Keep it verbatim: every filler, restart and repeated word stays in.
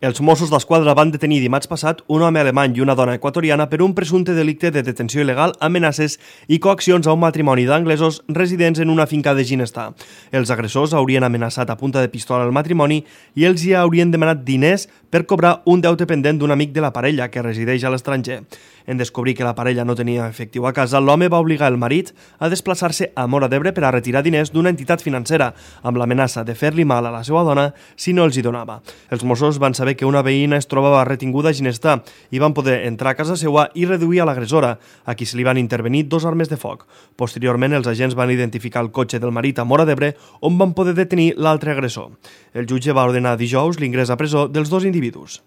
Els Mossos d'Esquadra van detenir dimarts passat un home alemany i una dona equatoriana per un presumpte delicte de detenció il·legal, amenaces i coaccions a un matrimoni d'anglesos residents en una finca de Ginestar. Els agressors haurien amenaçat a punta de pistola el matrimoni i els hi haurien demanat diners per cobrar un deute pendent d'un amic de la parella que resideix a l'estranger. En descobrir que la parella no tenia efectiu a casa, l'home va obligar el marit a desplaçar-se a Móra d'Ebre per a retirar diners d'una entitat financera, amb l'amenaça de fer-li mal a la seva dona si no els hi donava. Els Mossos van saber que una veïna es trobava retinguda a Ginestar i van poder entrar a casa seva i reduir a l'agressora, a qui se li van intervenir dos armes de foc. Posteriorment, els agents van identificar el cotxe del marit a Móra d'Ebre, on van poder detenir l'altre agressor. El jutge va ordenar dijous l'ingrés a presó dels dos individus.